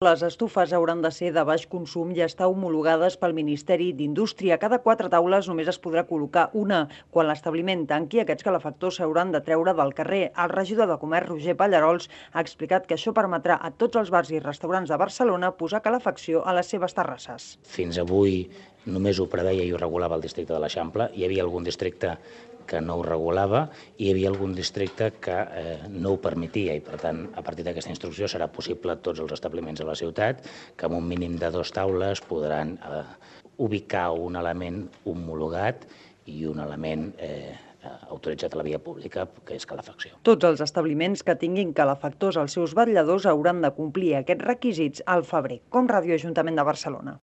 Les estufes hauran de ser de baix consum i estar homologades pel Ministeri d'Indústria. Cada 4 taules només es podrà col·locar una. Quan l'establiment tanqui, aquests calefactors s'hauran de treure del carrer. El regidor de Comerç, Roger Pallarols, ha explicat que això permetrà a tots els bars i restaurants de Barcelona posar calefacció a les seves terrasses. Fins avui només ho preveia i ho regulava el districte de l'Eixample. Hi havia algun districte que no ho regulava i hi havia algun districte que no ho permetia i, per tant, a partir d'aquesta instrucció serà possible a tots els establiments de la ciutat que amb un mínim de 2 taules podran ubicar un element homologat i un element autoritzat a la via pública, que és calefacció. Tots els establiments que tinguin calefactors als seus vetlladors hauran de complir aquests requisits al febrer, com Ràdio Ajuntament de Barcelona.